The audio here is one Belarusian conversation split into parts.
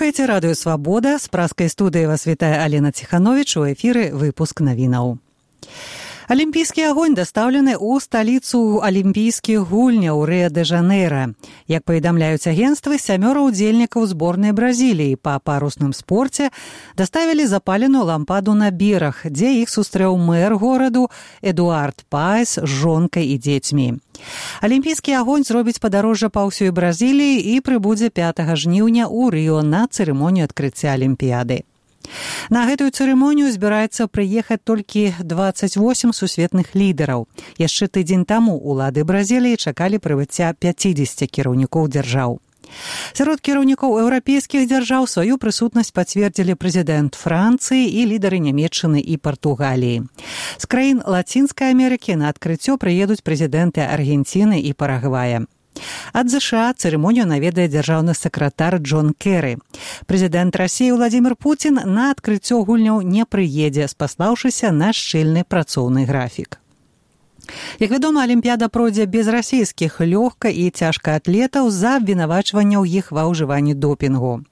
Слухаеце радыё «Свабода». З праскай студыі вас вітае Алена Ціхановіч. У эфіры выпуск навінаў. Алімпійскі агонь дастаўлены ў сталіцу алімпійскіх гульняў Рыа-дэ-Жанэйра. Як паведамляюць агенцтвы, 7 удзельнікаў зборнай Бразіліі па парусным спорце даставілі запаленую лампаду на бераг, дзе іх сустрэў мэр гораду Эдуард Паес з жонкай і дзецьмі. Алімпійскі агонь зробіць падарожжа па ўсёй Бразіліі і прыбудзе 5 жніўня ў Рыо на цырымонію адкрыцця Алімпіяды. На гэтую цырымонію збіраецца прыехаць толькі 28 сусветных лідараў. Яшчэ тыдзень таму улады Бразіліі чакалі прыбыцця 50 кіраўнікоў дзяржаў. Сярод кіраўнікоў еўрапейскіх дзяржаў сваю прысутнасць пацвердзілі прэзідэнт Францыі і лідары Нямецчыны і Партугаліі. З краін Лацінскай Амерыкі на адкрыццё прыедуць прэзідэнты Аргенціны і Парагвая. Ад ЗША цырымонію наведае дзяржаўны сакратар Джон Керры. Прэзідэнт Расіі Владзімір Пуцін на адкрыццё гульняў не прыедзе, спаслаўшыся на шчыльны працоўны графік. Як вядома, Алімпіяда пройдзе без расійскіх лёгка- і цяжкаатлетаў за абвінавачванняў іх ва ўжыванні допінгу.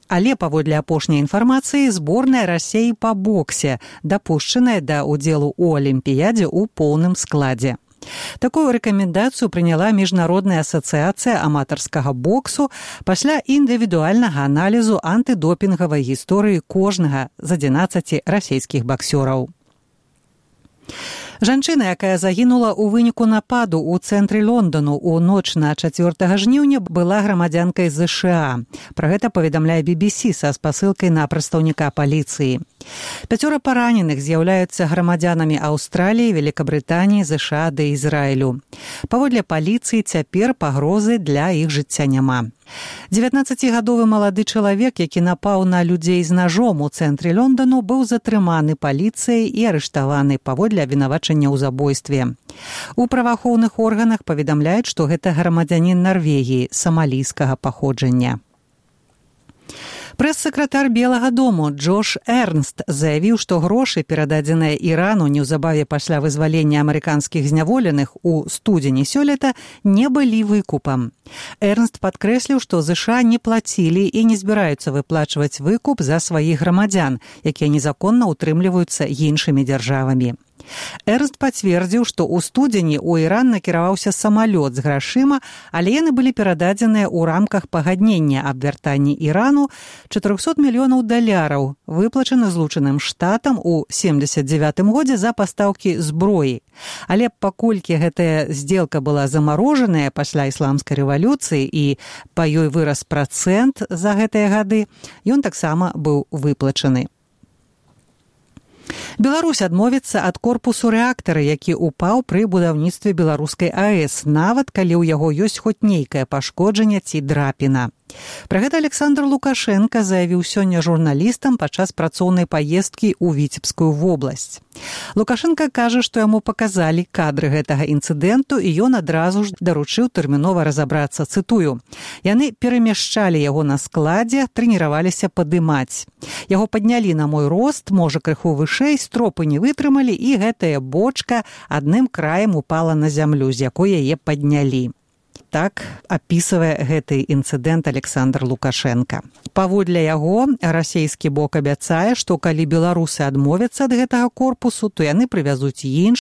Але, паводле апошняй інфармацыі, зборная Расіі па боксе дапушчаная да ўдзелу ў Алімпіядзе ў поўным складзе. Такую рэкамендацыю прыняла Міжнародная асацыяцыя аматарскага боксу пасля індывідуальнага аналізу антыдопінгавай гісторыі кожнага з 11 расійскіх баксёраў. Жанчына, якая загінула ў выніку нападу ў цэнтры Лондану ў ноч на 4 жніўня, была грамадзянкай ЗША. Пра гэта паведамляе BBC са спасылкай на прадстаўніка паліцыі. 5 параненых з'яўляюцца грамадзянамі Аўстраліі, Великабрытаніі, ЗША ды Ізраілю. Паводле паліцыі цяпер пагрозы для іх жыцця няма. 19-гадовы малады чалавек, які напаў на людзей з нажом у цэнтры Лондану, быў затрыманы паліцыяй і арыштаваны паводле абвінавачання ў забойстве. У праваахоўных органах паведамляюць, што гэта грамадзянін Нарвегіі самалійскага паходжання. Прэс-сакратар Белага дому Джош Эрнст заявіў, што грошы, перададзеныя Ірану неўзабаве пасля вызвалення амерыканскіх зняволеных у студзені сёлета, не былі выкупам. Эрнст падкрэсліў, што ЗША не плацілі і не збіраюцца выплачваць выкуп за сваіх грамадзян, якія незаконна ўтрымліваюцца іншымі дзяржавамі. Эрнст пацвердзіў, што ў студзені ў Іран накіраваўся самалёт з грашыма, але яны былі перададзеныя ў рамках пагаднення аб вяртанні Ірану $400 мільёнаў, выплачаны Злучаным Штатам у 79 годзе за пастаўкі зброі. Але паколькі гэтая здзелка была замарожаная пасля ісламскай рэвалюцыі і па ёй вырас працэнт за гэтыя гады, ён таксама быў выплачаны. Беларусь адмовіцца ад корпусу рэактара, які ўпаў пры будаўніцтве беларускай АЭС, нават калі ў яго ёсць хоць нейкае пашкоджанне ці драпіна. Пра гэта Александр Лукашенко заявіў сёння журналістам падчас працоўнай паездкі ў Віцебскую вобласць. Лукашенко кажа, што яму паказалі кадры гэтага інцыдэнту, і ён адразу ж даручыў тэрмінова разабрацца, цытую: «Яны перамяшчалі яго на складзе, трэніраваліся падымаць. Яго паднялі на мой рост, можа крыху вышэй, стропы не вытрымалі, і гэтая бочка адным краем упала на зямлю, з якой яе паднялі». Так апісвае гэты інцыдэнт Александр Лукашенко. Паводле яго, расійскі бок абяцае, што калі беларусы адмовяцца ад гэтага корпусу, то яны прывязуць іншы